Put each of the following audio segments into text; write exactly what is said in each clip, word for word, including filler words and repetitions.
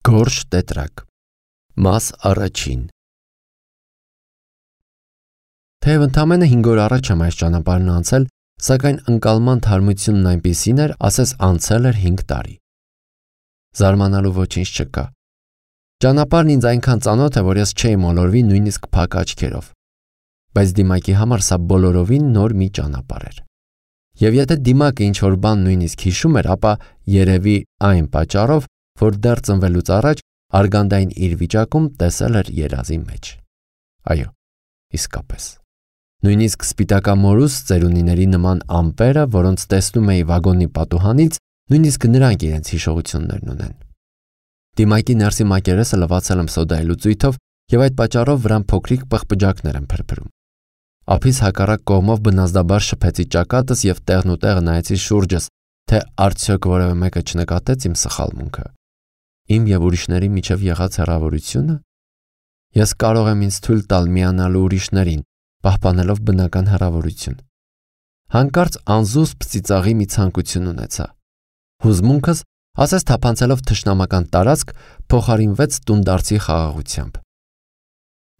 Գորշ տետրակ Մաս առաջին Թեև ընդամենը հինգ օր առաջ եմ այս ճանապարհն անցել, սակայն ընկալման թարմությունն այնպիսին էր, ասես անցել էր հինգ տարի։ Զարմանալու ոչինչ չկա։ Ճանապարհն ինձ այնքան ծանոթ է, որ ես չէի մոլորվի նույնիսկ փակ աչքերով։ Բայց Դիմակի համար սա բոլորովին նոր մի ճանապարհ էր։ Եվ եթե Դիմակը ինչ-որ բան նույնիսկ հիշում էր, ապա երևի այն պատճառով, որ դեռ ծնվելուց առաջ արգանդային իր վիճակում տեսել էր երազի մեջ։ Այո, իսկապես։ Նույնիսկ սպիտակամորուս ծերունիների նման ամպերը, որոնց տեսնում էի վագոնի պատուհանից, նույնիսկ նրանք իրենց հիշողություններն ունեն։ Դիմակի ներսի մակերեսը լվացել եմ սոդայի լուծույթով և այդ պատճառով վրան փոքրիկ պղպջակներ են փրփրում։ Ափիս հակառակ կողմով բնազդաբար շփեցի ճակատս և տեղնուտեղը նայեցի շուրջս, թե արդյոք որևէ մեկը չնկատեց իմ սխալմունքը։ Իմ և ուրիշների միջև եղած հեռավորությունը։ Ես կարող եմ ինձ թույլ տալ միանալու ուրիշներին, պահպանելով բնական հեռավորություն։ Հանկարծ անզուսպ ծիծաղի մի ցանկություն ունեցա։ Հուզմունքս, ասես թափանցելով թշնամական տարածք, փոխարինվեց տունդարձի խաղաղությամբ։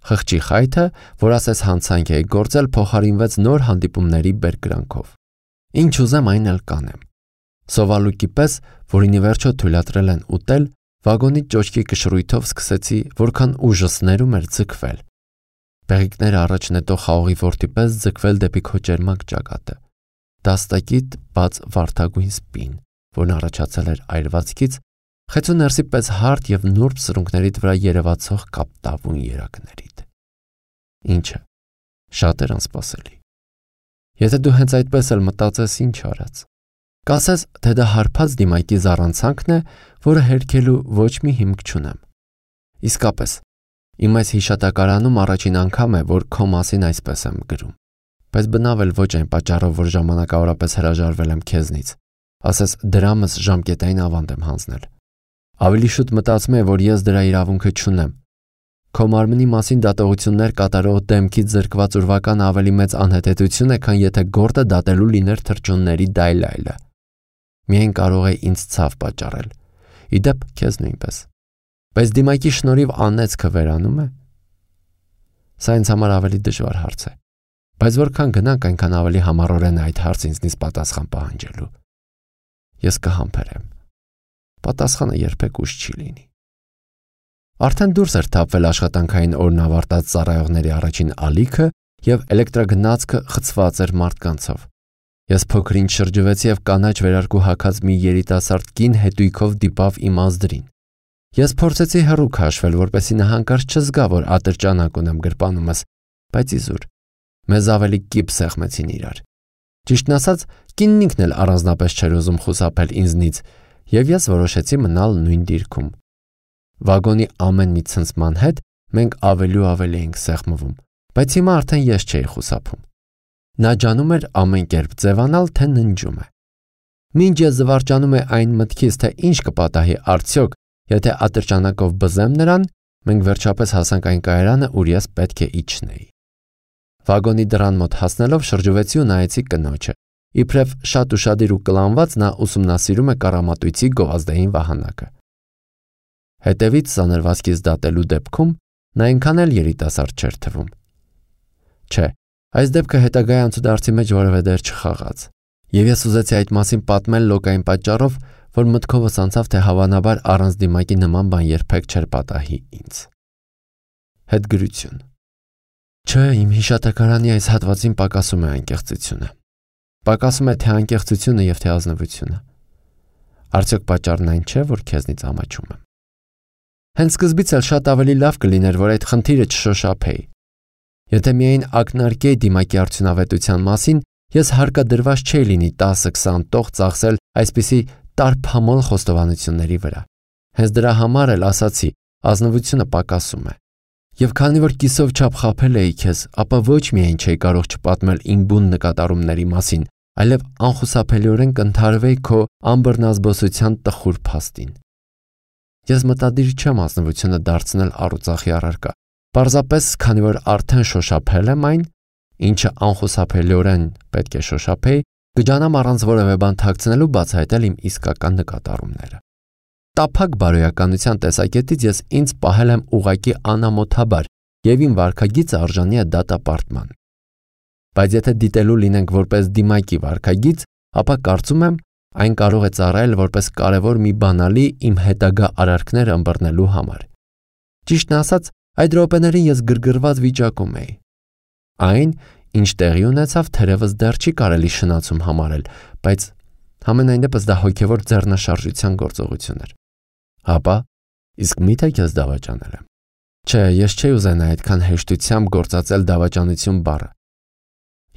Խղճի խայթը, որ ասես հանցանք էի գործել, փոխարինվեց նոր հանդիպումների բերկրանքով։ Ինչ ուզեմ, այն էլ կանեմ։ Սովալուկի պես, որին ի վերջո թույլատրել են ուտել, վագոնի ճոճքի կշռույթով սկսեցի, որքան ուժս ներում էր, ձգվել։ Բեղիկները առաջ նետող խաղողի որդի պես ձգվել դեպի քո ճերմակ ճակատը։ Դաստակիտ բաց վարդագույն սպին, որն առաջացել էր այրվածքից, խեցու ներսի պես հարթ և նուրբ սրունքներիդ վրա երևացող կապտավուն երակներիդ։ Ինչը, շատ էր անսպասելի։ Եթե դու հենց այդպես էլ մտածես, ինչ արած։ Կասես, թե դա հարբած Դիմակի զառանցանքն է, որը հերքելու ոչ մի հիմք չունեմ։ Իսկապես, իմ այս հիշատակարանում առաջին անգամ է, որ քո մասին այսպես եմ գրում։ Բայց բնավ էլ ոչ այն պատճառով, որ ժամանակավորապես հրաժարվել եմ քեզնից, ասես դրամս ժամկետային ավանդ եմ հանձնել։ Ավելի շուտ մտածում եմ, որ ես դրա իրավունքը չունեմ։ Քո մարմնի մասին դատողություններ կատարող դեմքից զրկված ուրվական ավելի մեծ անհետեցություն է, քան եթե գործը դատելու լիներ թռչունների դայլայլը։ Միայն կարող է ինձ ցավ պատճառել։ Իդեպ քեզ նույնպես։ Բայց Դիմակի շնորհիվ անեծքը վերանում է։ Սա ինձ համար ավելի դժվար հարց է։ Բայց որքան գնանք, այնքան ավելի համառորեն է այդ հարցը ինձնից պատասխան պահանջելու։ Ես կհամբերեմ։ Պատասխանը երբեք ուշ չի լինի։ Արդեն դուրս էր թափվել աշխատանքային օրն ավարտած ծառայողների առաջին ալիքը և էլեկտրագնացքը խցված էր մարդկանցով։ Ես փոքր-ինչ շրջվեցի և կանաչ վերարկու հագած մի երիտասարդ կին հետույքով դիպավ իմ ազդրին։ Ես փորձեցի հեռու քաշվել, որպեսզի նա հանկարծ չզգա, որ ատրճանակ ունեմ գրպանումս, բայց իզուր։ Մեզ ավելի կիպ սեղմեցին իրար։ Ճիշտն ասած, կինն ինքն էլ առանձնապես չէր ուզում խուսափել ինձնից, և ես որոշեցի մնալ նույն դիրքում։ Վագոնի ամեն մի ցնցման հետ մենք ավելի ու ավելի էինք սեղմվում, բայց հիմա արդեն ես չէի խուսափում։ Նա ջանում էր ամեն կերպ ձևանալ, թե ննջում է։ Մինչ ես զվարճանում է այն մտքից, թե ինչ կպատահի արդյոք, եթե ատրճանակով բզեմ նրան, մենք վերջապես հասանք այն կայարանը, ուր ես պետք է իջնեի։ Վագոնի դռան մոտ հասնելով շրջվեցի ու նայեցի կնոջը։ Իբրև շատ ուշադիր ու կլանված նա ուսումնասիրում է կառամատույցի գովազդային վահանակը։ Հետևից սանրվածքից դատելու դեպքում նա այնքան էլ երիտասարդ չէր թվում։ Չէ, այս դեպքը հետագայի անցուդարձի մեջ որևէ դեր չխաղաց, և ես ուզեցի այդ մասին պատմել լոկային պատճառով, որ մտքովս անցավ, թե հավանաբար առանց Դիմակի նման բան երբեք չէր պատահի ինձ։ Հետգրություն։ Չէ, իմ հիշատակարանի այս հատվածին պակասում է անկեղծությունը։ Պակասում է թե անկեղծությունը և թե ազնվությունը։ Արդյոք պատճառն այն չէ, որ քեզնից ամաչում եմ։ Հենց սկզբից էլ շատ ավելի լավ կլիներ, որ այդ խնդիրը չշոշափեի։ Եթե միայն ակնարկեի Դիմակի արդյունավետության մասին, ես հարկադրված չէի լինի տասը-քսան տող ծախսել այսպիսի տարփամոլ խոստովանությունների վրա։ Հենց դրա համար էլ ասացի, ազնվությունը պակասում է։ Եվ քանի որ կիսով չափ խաբել էի քեզ, ապա ոչ միայն չէի կարող չպատմել իմ բուն նկատառումների մասին, այլև անխուսափելիորեն կընդհարվեի քո անբռնազբոսության տխուր փաստին։ Ես մտադիր չեմ ազնվությունը դարձնել առուծախի առարկա, պարզապես քանի որ արդեն շոշափել եմ այն, ինչը անխուսափելիորեն պետք է շոշափեի, կջանամ առանց որևէ բան թաքցնելու բացահայտել իմ իսկական նկատառումները։ տափակ բարոյականության տեսակետից ես ինձ պահել եմ ուղակի անամոթաբար եւ իմ վարքագիծը արժանի է դատապարտման։ Բայց եթե դիտելու լինենք որպես դիմակի վարքագիծ, ապա կարծում եմ այն կարող է ծառայել որպես կարևոր մի բանալի իմ հետագա արարքները ըմբռնելու համար։ Ճիշտն ասած, այդ րոպեներին ես գրգռված վիճակում էի։ Այն, ինչ տեղի ունեցավ, թերևս դեռ չի կարելի շնացում համարել, բայց համենայն դեպս դա հոգևոր ձեռնաշարժության գործողություն էր։ Հապա, իսկ միթե քեզ դավաճանել եմ։ Չէ, ես չէի ուզենա այդքան հեշտությամբ գործածել դավաճանություն բառը։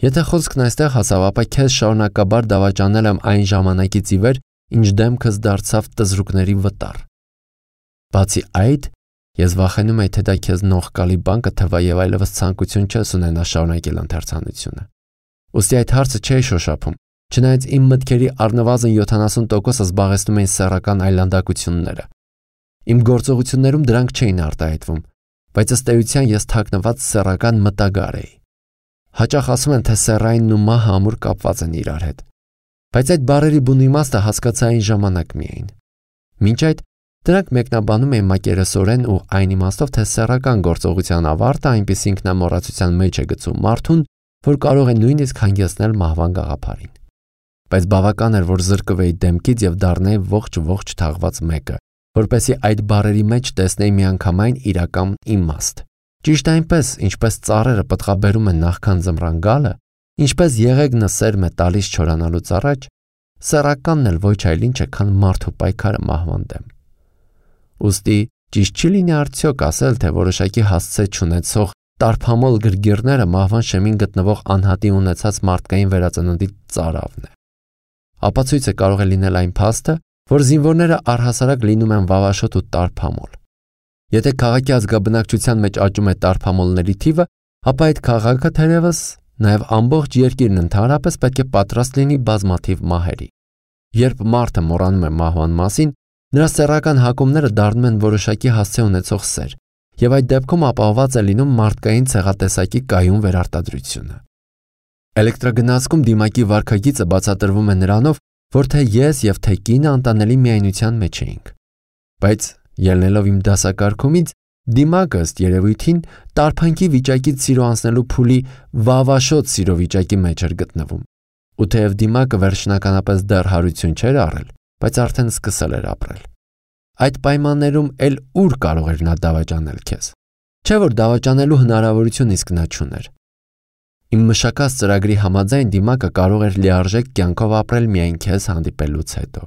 Եթե խոսքն այստեղ հասավ, ապա քեզ շարունակաբար դավաճանել եմ այն ժամանակից ի վեր, ինչ դեմքս դարձավ տզրուկների վտար։ Բացի այդ, ես վախենում էի, թե դա քեզ նողկալի բան կթվա եւ այլևս ցանկություն չես ունենա շարունակել ընթերցանությունը։ Ուստի այդ հարցը չէի շոշափում, չնայած իմ մտքերի առնվազն յոթանասուն տոկոսը զբաղեցնում էին սեռական այլանդակությունները։ Իմ գործողություններում դրանք չէին արտահայտվում, բայց ըստ էության ես թաքնված սեռական մտագար էի։ Հաճախ ասում են, թե սեռայինն ու մահը ամուր կապված են իրար հետ, բայց այդ բառերի բուն իմաստը հասկացա այն ժամանակ միայն։ Մինչ այդ դրանք մեկնաբանում էին մակերեսորեն ու այն իմաստով, թե սեռական գործողության ավարտը այնպես ինքնամոռացության մեջ է գցում մարդուն, որ կարող է նույնիսկ հանգեցնել մահվան գաղափարին։ Բայց բավական էր, որ զրկվեի դեմքից եւ դառնայի ողջ-ողջ թաղված մեկը, որպեսզի այդ բառերի մեջ տեսնեի միանգամայն իրական իմաստ։ Ճիշտ այնպես, ինչպես ծառերը պտղաբերում են նախքան ձմռան գալը, ինչպես եղեգնը սերմ է տալիս չորանալուց առաջ, սեռականն էլ ոչ այլ ինչ է, քան մարդու պայքարը մահվան դեմ։ Ուստի ճիշտ չի լինի արդյոք ասել, թե որոշակի հասցե չունեցող տարփամոլ գրգիռները մահվան շեմին գտնվող անհատի ունեցած մարդկային վերածննդի ծարավն է։ Ապացույցը կարող է լինել այն փաստը, որ զինվորները առհասարակ լինում են վավաշոտ ու տարփամոլ։ Եթե քաղաքի ազգաբնակչության մեջ աճում է տարփամոլների թիվը, ապա այդ քաղաքը թերևս նաև ամբողջ երկիրն ընդհանրապես պետք է պատրաստ լինի բազմաթիվ մահերի։ Երբ մարդը մոռանում է մահվան մասին, նրա սեռական հակումները դառնում են որոշակի հասցե ունեցող սեր, եւ այդ դեպքում ապահովված է լինում մարդկային ցեղատեսակի կայուն վերարտադրությունը։ Էլեկտրագնացքում դիմակի վարքագիծը բացատրվում է նրանով, որ թե ես եւ թե կինը անտանելի միայնության մեջ էինք։ Բայց ելնելով իմ դասակարգումից, դիմակը ըստ երևույթին տարփանքի վիճակից սիրո անցնելու փուլի վավաշոտ սիրո վիճակի մեջ էր գտնվում։ Ու թեև դիմակը վերջնականապես դեռ հարություն չէր առել, բայց արդեն սկսել էր ապրել։ Այդ պայմաններում էլ ուր կարող էր նա դավաճանել քեզ։ Չէ՞ որ դավաճանելու հնարավորություն իսկ նա չուներ։ Իմ մշակած ծրագրի համաձայն դիմակը կարող էր լիարժեք կյանքով ապրել միայն քեզ հանդիպելուց հետո։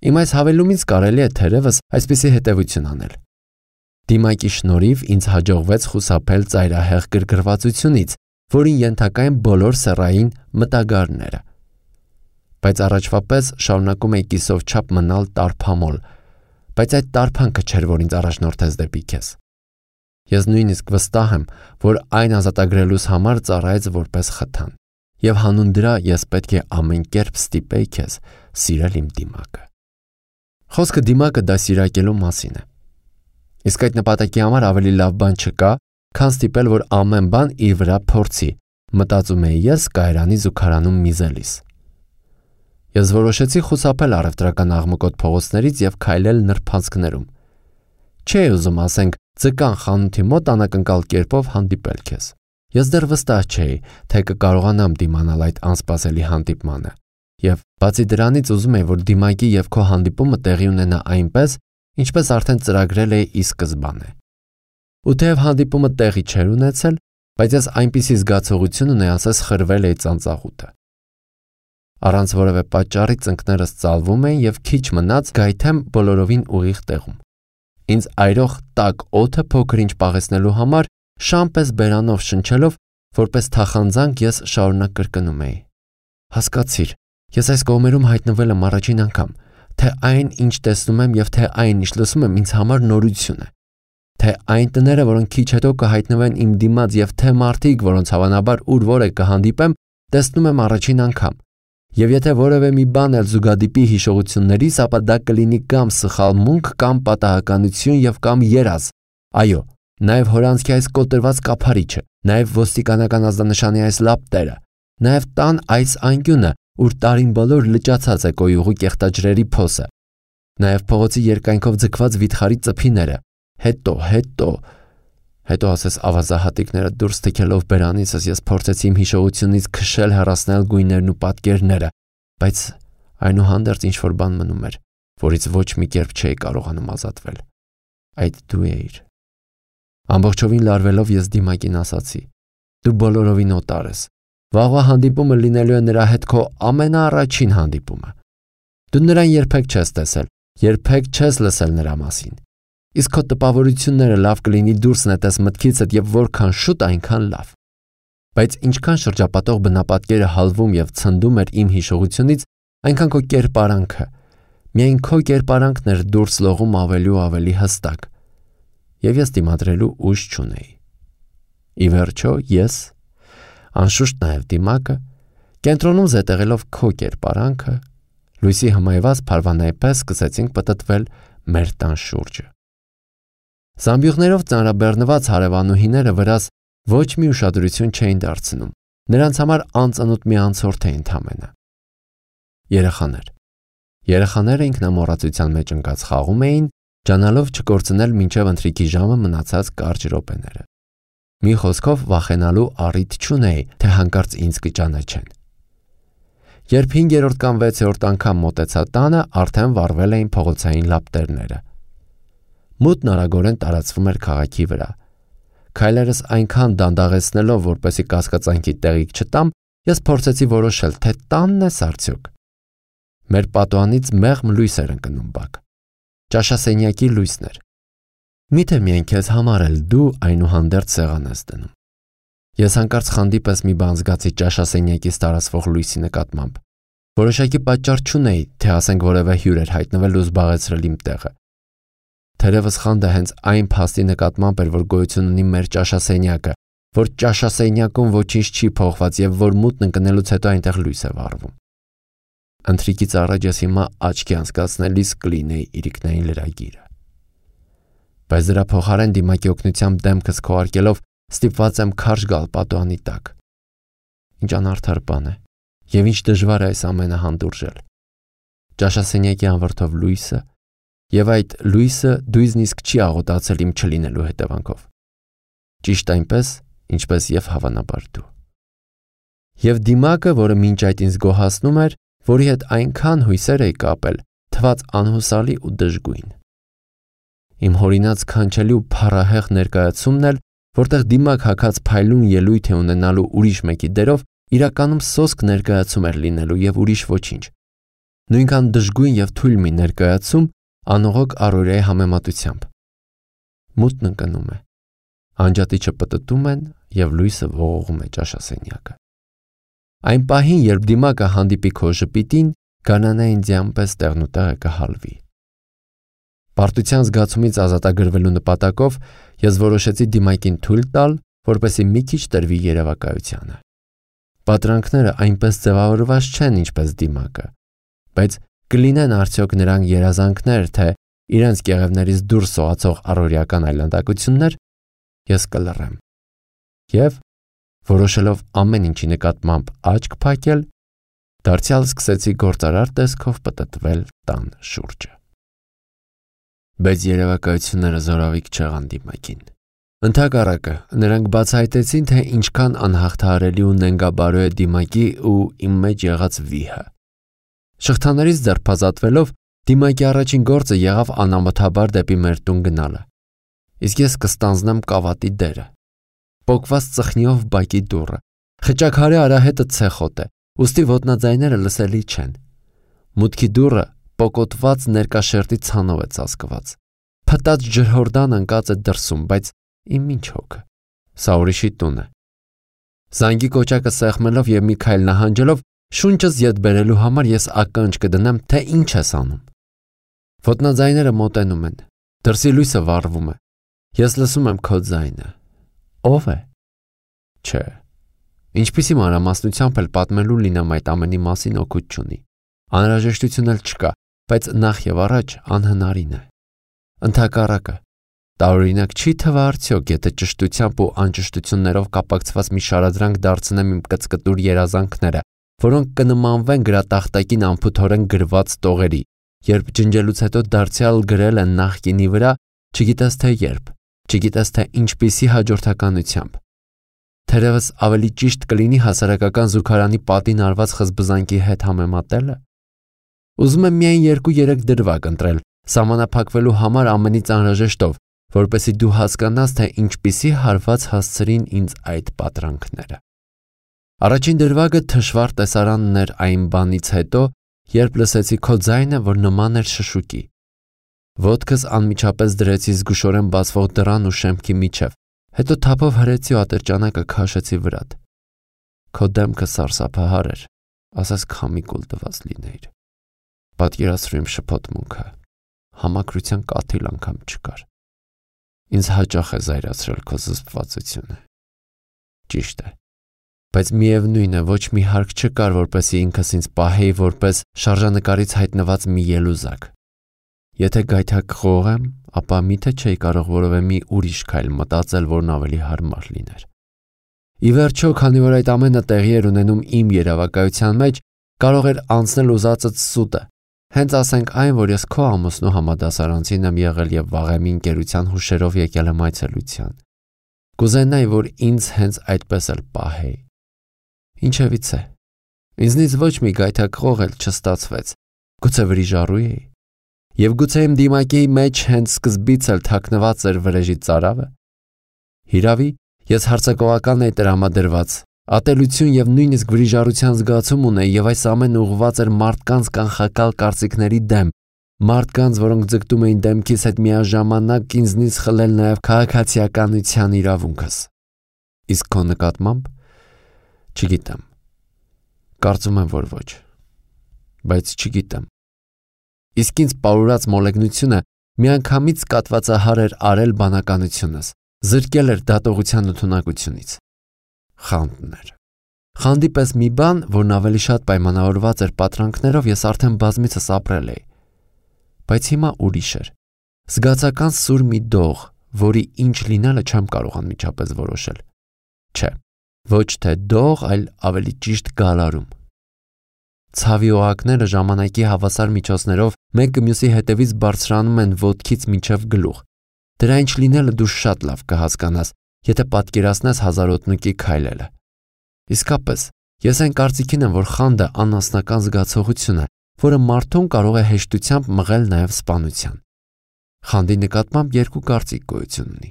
Իմ այս հավելումից կարելի է թերևս այսպիսի հետևություն անել։ Դիմակի շնորհիվ ինձ հաջողվեց խուսափել ծայրահեղ գրգռվածությունից, որին ենթակա են բոլոր սեռային մտագարները։ Բայց առաջվա պես շարունակում էի կիսով չափ մնալ տարփամոլ, բայց այդ տարփանքը չէր, որ ինձ առաջնորդեց դեպի քեզ։ Ես նույնիսկ վստահ եմ, որ այն ազատագրելուս համար ծառայեց որպես խթան, եւ հանուն դրա ես պետք է ամեն կերպ ստիպեի քեզ սիրել իմ դիմակը։ Խոսքը դիմակը դասիրակելու մասին է։ Իսկ այդ նպատակի համար ավելի լավ բան չկա, քան ստիպել, որ ամեն բան իր վրա փորձի, մտածում էի ես կայարանի զուգարանում միզելիս։ Ես որոշեցի խուսափել առևտրական աղմկոտ փողոցներից եւ քայլել նրբանցքներում։ Չէի ուզում, ասենք, ձկան խանութի մոտ անակնկալ կերպով հանդիպել քեզ։ Ես դեռ վստահ չէի, թե կկարողանամ դիմանալ այդ անսպասելի հանդիպմանը։ Եվ բացի դրանից ուզում էի, որ դիմակի եւ քո հանդիպումը տեղի ունենա այնպես, ինչպես արդեն ծրագրել էի ի սկզբանե։ Ու թեև հանդիպումը տեղի չէր ունեցել, բայց ես այնպիսի զգացողություն ունեի, ասես խրվել էի ծանծաղուտը։ Առանց որևէ պատճառի ծնկներս ծալվում էին եւ քիչ մնաց գայթեմ բոլորովին ուղիղ տեղում։ Ինձ այրող տաք օդը փոքր-ինչ պաղեցնելու համար շամպես բերանով շնչելով, որպես թախանձանք ես շարունակ կրկնում էի. Հասկացիր, ես այս կողմերում հայտնվել եմ առաջին անգամ, թե այն, ինչ տեսնում եմ եւ թե այն, ինչ լսում եմ, ինձ համար նորություն է։ Թե այն տները, որոնք քիչ հետո կհայտնվեն իմ դիմաց եւ թե մարդիկ, որոնց հավանաբար ուր որ է կհանդիպեմ, տեսնում եմ առաջին անգամ։ Եվ եթե որևէ մի բան էլ զուգադիպի հիշողություններիս, ապա դա կլինի կամ սխալմունք, կամ պատահականություն եւ կամ երազ։ Այո, նաեւ հորանցքի այս կոտրված կափարիչը, նաեւ ոստիկանական ազդանշանի այս լապտերը, նաեւ տան այս անկյունը, ուր տարին բոլոր լճացած է կոյուղու կեղտաջրերի փոսը։ Նաև փողոցի երկայնքով ձգված վիթխարի ծփիները, հետո, հետո, հետո ասես ավազահատիկները դուրս թքելով բերանիցս ես փորձեցի իմ հիշողությունից քշել հեռացնել գույներն ու պատկերները, բայց այնուհանդերձ ինչ-որ բան մնում էր, որից ոչ մի կերպ չէի կարողանում ազատվել։ Այդ դու էիր։ Ամբողջովին լարվելով ես Դիմակին ասացի. Դու բոլորովին օտար ես։ Վաղվա հանդիպումը լինելու է նրա հետ քո ամենաառաջին հանդիպումը։ Դու նրան երբեք չես տեսել, երբեք չես լսել նրա մասին։ Իսկ քո տպավորությունները լավ կլինի դուրս նետես մտքիցդ եւ որքան շուտ այնքան լավ։ Բայց ինչքան շրջապատող բնապատկերը հալվում եւ ցնդում էր իմ հիշողությունից, այնքան քո կերպարանքը, միայն քո կերպարանքն էր դուրս լողում ավելի ու ավելի հստակ։ Եվ ես դիմադրելու ուժ չունեի։ Ի վերջո ես, անշուշտ նաև Դիմակը, կենտրոնում զետեղելով քո կերպարանքը, լույսի հմայված փարվանայի պես սկսեցինք պտտվել մեր տան շուրջը։ Զամբյուղներով ծանրաբեռնված հարևանուհիները վրաս ոչ մի ուշադրություն չէին դարձնում, նրանց համար անծանոթ մի անցորդ էին ընդամենը։ Երեխաներ։ Երեխաները ինքնամոռացության մեջ ընկած խաղում էին, ջանալով չկորցնել մինչև ընթրիքի ժամը մնացած կարճ րոպեները։ Մի խոսքով վախենալու առիթ չունեի, թե հանկարծ ինձ կճանաչեն։ Երբ հինգերորդ կամ վեցերորդ անգամ մոտեցա տանը, արդեն վառվել էին փողոցային լապտերները։ Մութն արագորեն տարածվում էր քաղաքի վրա։ Քայլերս այնքան դանդաղեցնելով, որպեսզի կասկածանքի տեղիք չտամ, ես փորձեցի որոշել, թե տանն է արդյոք։ Մեր պատուհանից մեղմ լույս էր ընկնում բակ։ Ճաշասենյակի լույսն էր։ Միթե միայն քեզ համար էլ դու այնուհանդերձ սեղան ես դնում։ Ես հանկարծ խանդի պես մի բան զգացի ճաշասենյակից տարածվող լույսի նկատմամբ։ Որոշակի պատճառ չունեի, թե ասենք որևէ հյուր էր հայտնվել ու զբաղեցրել իմ տեղը։ Թերևս խանդը հենց այն փաստի նկատմամբ էր, որ գոյություն ունի մեր ճաշասենյակը, որ ճաշասենյակում ոչինչ չի փոխված եւ որ մութն ընկնելուց հետո այնտեղ լույս է վառվում։ Ընթրիքից առաջ ես հիմա աչքի անցկացնելիս կլինեի իրիկնային լրագիրը։ Բայց դրա փոխարեն Դիմակի օգնությամբ դեմքս քողարկելով ստիպված եմ քարշ գալ պատուհանի տակ։ Ինչ անարդար բան է, եւ ինչ դժվար է այս ամենը հանդուրժել։ Ճաշասենյակի անվրդով լույսը, եւ այդ լույսը դույզնիսկ չի աղոտացել իմ չլինելու հետևանքով։ Ճիշտ այնպես, ինչպես եւ հավանաբար դու։ Եվ Դիմակը, որը մինչ այդ ինձ գոհացնում էր, որի հետ այնքան հույսեր էի կապել, թվաց անհուսալի ու դժգույն։ Իմ հորինած քանչելի ու փառահեղ ներկայացումն էլ, որտեղ Դիմակ հագած փայլուն ելույթ է ունենալու ուրիշ մեկի դերով, իրականում սոսկ ներկայացում էր լինելու եւ ուրիշ ոչինչ։ Նույնքան դժգույն եւ թույլ մի ներկայացում անողոք առօրյայի համեմատությամբ։ Մութն ընկնում է։ Անջատիչը պտտում են եւ լույսը ողողում է ճաշասենյակը։ Այն պահին, երբ Դիմակը հանդիպի քո ժպիտին, գանանային ձյան պես տեղնուտեղը կհալվի։ Պարտության զգացումից ազատագրվելու նպատակով ես որոշեցի Դիմակին թույլ տալ, որպեսզի մի քիչ տրվի երևակայությանը։ Պատրանքները այնպես ձևավորված չեն, ինչպես Դիմակը, բայց կլինեն արդյոք նրանք երազանքներ, թե իրենց կեղևներից դուրս սողացող առօրյական այլանդակություններ, ես կլռեմ։ Եվ որոշելով ամեն ինչի նկատմամբ աչք փակել, դարձյալ սկսեցի գործարար տեսքով պտտվել տան շուրջը։ Բայց երևակայությունները զորավիք չեղան Դիմակին։ Ընդհակառակը, նրանք բացահայտեցին, թե ինչքան անհաղթահարելի ու նենգաբարո է Դիմակի ու իմ մեջ եղած վիհը։ Շղթաներից ձերբազատվելով, Դիմակի առաջին գործը եղավ անամոթաբար դեպի մեր տուն գնալը։ Իսկ ես կստանձնեմ կավատի դերը։ Պոկված ծխնիով բակի դուռը, խճաքարի արահետը ցեխոտ է, ուստի ոտնաձայները լսելի չեն։ Մուտքի դուռը պոկոտված ներկաշերտի ցանով է ծածկված։ Փտած ջրհորդան ընկած է դրսում, բայց իմ ինչ հոգը։ Սա ուրիշի տուն է։ Զանգի կոճակը սեղմելով եւ մի քայլ նահանջելով, շունչս ետ բերելու համար ես ականջ կդնեմ, թե ինչ ես անում։ Ոտնաձայները մոտենում են։ Դրսի լույսը վառվում է։ Ես լսում եմ քո ձայնը։ Ո՞վ է։ Չէ։ Ինչպիսի մանրամասնությամբ էլ պատմելու լինեմ այդ ամենի մասին օգուտ չունի։ Անհրաժեշտություն էլ չկա, բայց նախ եւ առաջ անհնարին է։ Ընդհակառակը, տարօրինակ չի թվա արդյոք, եթե ճշտությամբ ու անճշտություններով կապակցված մի շարադրանք դարձնեմ իմ կծկտուր երազանքները, որոնք կնմանվեն գրատախտակին անփութորեն գրված տողերի, Երբ ջնջելուց հետո դարձյալ գրել են նախկինի վրա, չգիտես թե երբ, չգիտես թե ինչպիսի հաջորդականությամբ։ Թերևս ավելի ճիշտ կլինի հասարակական զուգարանի պատին արված խզբզանքի հետ համեմատելը։ Ուզում եմ միայն երկու-երեք դրվագ ընտրել, սահմանափակվելու համար ամենից անհրաժեշտով, որպեսզի դու հասկանաս, թե ինչպիսի հարված հասցրին ինձ այդ պատրանքները։ Առաջին դրվագը թշվառ տեսարանն էր այն բանից հետո, երբ լսեցի քո ձայնը, որ նման էր շշուկի։ Ոտքս անմիջապես դրեցի զգուշորեն բացվող դռան ու շեմքի միջև, հետո թափով հրեցի ու ատրճանակը քաշեցի վրատ։ Քո դեմքը սարսափահար էր, ասես քամի կուլ տված լինեիր։ Պատկերացրու իմ շփոթմունքը, համակրության կաթիլ անգամ չկար։ Ինձ հաճախ է զայրացրել քո զսպվածությունը։ Ճիշտ է, բայց միևնույն է, ոչ մի հարկ չկար, որպեսզի ինքս ինձ պահեի որպես շարժանկարից հայտնված մի ելուզակ։ Եթե գայթակղող եմ, ապա միթե չէի կարող որևէ մի ուրիշ քայլ մտածել, որն ավելի հարմար լիներ։ Ի վերջո, քանի որ այդ ամենը տեղի էր ունենում իմ երևակայության մեջ, կարող էր անցնել ուզածդ սուտը։ Հենց ասենք այն, որ ես քո ամուսնու համադասարանցին եմ եղել եւ վաղեմի ընկերության հուշերով եկել եմ այցելության։ Կուզենայի, որ ինձ հենց այդպես էլ պահեի։ Ինչևից է։ Ինձնից ոչ մի գայթակղող էլ չստացվեց։ Գուցե վրիժառու էի։ Եվ գուցե իմ դիմակի մեջ հենց սկզբից էլ թաքնված էր վրեժի ծարավը։ Հիրավի, ես հարձակողական էի տրամադրված, ատելություն եւ նույնիսկ վրիժառության զգացում ունեի, եւ այս ամենը ուղղված էր մարդկանց կանխակալ կարծիքների դեմ, մարդկանց, որոնք ձգտում էին դեմքիս հետ միաժամանակ ինձնից խլել նաեւ քաղաքացիականության իրավունքս։ Իսկ քո նկատմամբ չգիտեմ։ Կարծում եմ, որ ոչ։ Բայց չգիտեմ։ Իսկ ինձ պարուրած մոլեգնությունը միանգամից կատվածահար էր արել բանականությունս, զրկել էր դատողության ընդունակությունից։ Խանդն էր։ Խանդի պես մի բան, որն ավելի շատ պայմանավորված էր պատրանքներով, ես արդեն բազմիցս ապրել էի։ Բայց հիմա ուրիշ էր։ Զգացական սուր մի դող, որի ինչ լինելը չեմ կարող անմիջապես որոշել։ Չէ, ոչ թե դող, այլ ավելի ճիշտ գալարում։ Ցավի օղակները ժամանակի հավասար միջոցներով մեկը մյուսի հետևից բարձրանում են ոտքից մինչև գլուխ։ Դրա ինչ լինելը դու շատ լավ կհասկանաս, եթե պատկերացնես հազարոտնուկի քայլելը։ Իսկապես, ես այն կարծիքին եմ, որ խանդը անասնական զգացողություն է, որը մարդուն կարող է հեշտությամբ մղել նաև սպանության։ Խանդի նկատմամբ երկու կարծիք գոյություն ունի։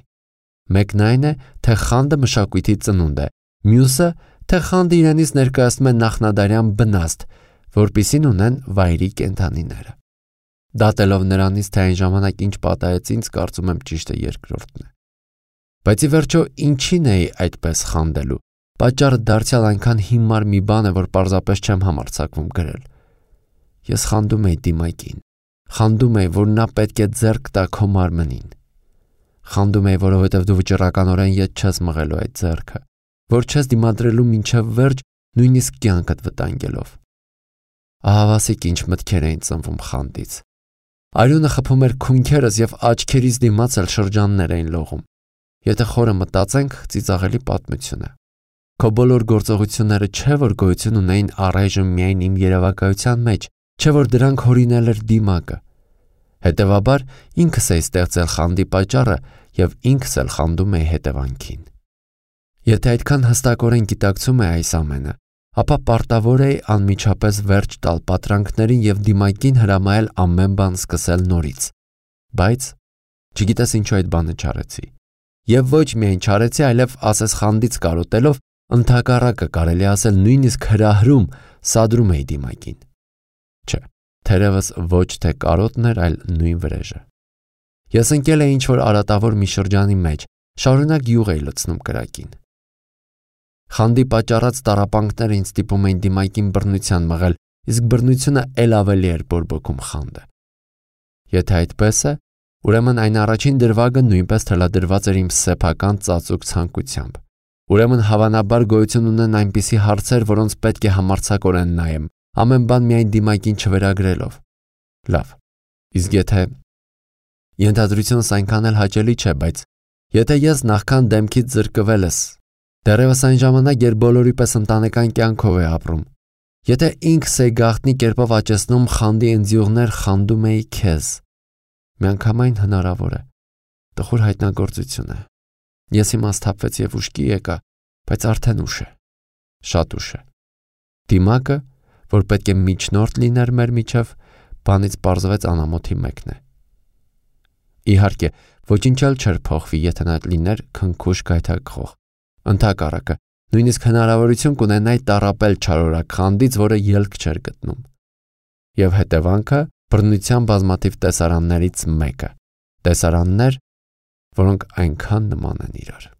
Մեկն այն է, թե խանդը մշակույթի ծնունդ է, մյուսը, թե խանդը իրենից ներկայացնում է նախնադարյան բնաստ, որպիսին ունեն վայրի կենդանիները։ Դատելով նրանից, թե այն ժամանակ ինչ պատահեց ինձ, կարծում եմ ճիշտը երկրորդն է։ Բայց ի վերջո ինչին էի այդպես խանդելու։ Պատճառը դարձյալ այնքան հիմար մի բան է, որ պարզապես չեմ համարձակվում գրել։ Ես խանդում էի դիմակին։ Խանդում էի, որ նա պետք է ձեռք տա քո մարմնին։ Խանդում էի, որովհետև դու վճռականորեն ետ չես մղելու այդ ձեռքը, որ չես դիմադրելու մինչև վերջ, նույնիսկ կյանքդ վտանգելով։ Ահավասիկ ինչ մտքեր էին ծնվում խանդից։ Արյունը խփում էր քունքերս եւ աչքերից դիմաց էլ շրջաններ էին լողում։ Եթե խորը մտածենք, ծիծաղելի պատմություն է։ Քո բոլոր գործողությունները չէ որ գոյություն ունեին առայժմ միայն իմ երևակայության մեջ, չէ որ դրանք հորինել էր դիմակը։ Հետևաբար ինքս էի ստեղծել խանդի պատճառը եւ ինքս էլ խանդում էի հետևանքին։ Եթե այդքան հստակորեն գիտակցում է այս ամենը, ապա պարտավոր էի անմիջապես վերջ տալ պատրանքներին եւ դիմակին հրամայել ամեն բան սկսել նորից։ Բայց չգիտես ինչու այդ բանը չարեցի։ Եվ ոչ միայն չարեցի, այլև ասես խանդից կարոտելով ընդհակառակը կարելի ասել նույնիսկ հրահրում սադրում էի դիմակին։ Չէ, թերևս ոչ թե կարոտն էր, այլ նույն վրեժը։ Ես ընկել էի ինչ-որ արատավոր մի շրջանի մեջ, շարունակ յուղ էի լցնում կրակին։ Խանդի պատճառած տառապանքները ինձ ստիպում էին դիմակին բռնության մղել, իսկ բռնությունը էլ ավելի էր բորբոքում խանդը։ Եթե այդպես է, ուրեմն այն առաջին դրվագը նույնպես թելադրված էր իմ սեփական ծածուկ ցանկությամբ։ Ուրեմն հավանաբար գոյություն ունեն այնպիսի հարցեր, որոնց պետք է համարձակորեն նայեմ, ամեն բան միայն դիմակին չվերագրելով։ Լավ, իսկ եթե ենթադրությունս այնքան էլ հաճելի չէ, բայց եթե ես նախքան դեմքից զրկվել ես, դեռևս այն ժամանակ, երբ բոլորի պես ընտանեկան կյանքով է ապրում, Եթե ինքս էի գաղտնի կերպով աճեցնում խանդի ընձյուղներ, խանդում էի քեզ։ Միանգամայն հնարավոր է։ Տխուր հայտնագործություն է։ Ես հիմա սթափվեցի եւ ուշքի եկա, բայց արդեն ուշ է։ Շատ ուշ է։ Դիմակը, որ պետք է միջնորդ լիներ մեր միջև, բանից պարզվեց անամոթի մեկն է։ Իհարկե, ոչինչ էլ չէր փոխվի, եթե նա լիներ քնքուշ գայթակղող։ Ընդհակառակը, նույնիսկ հնարավորություն կունենայի տառապել չարորակ խանդից, որը ելք չէր գտնում։ Եվ հետևանքը բռնության բազմաթիվ տեսարաններից մեկը։ Տեսարաններ, որոնք այնքան նման են իրար։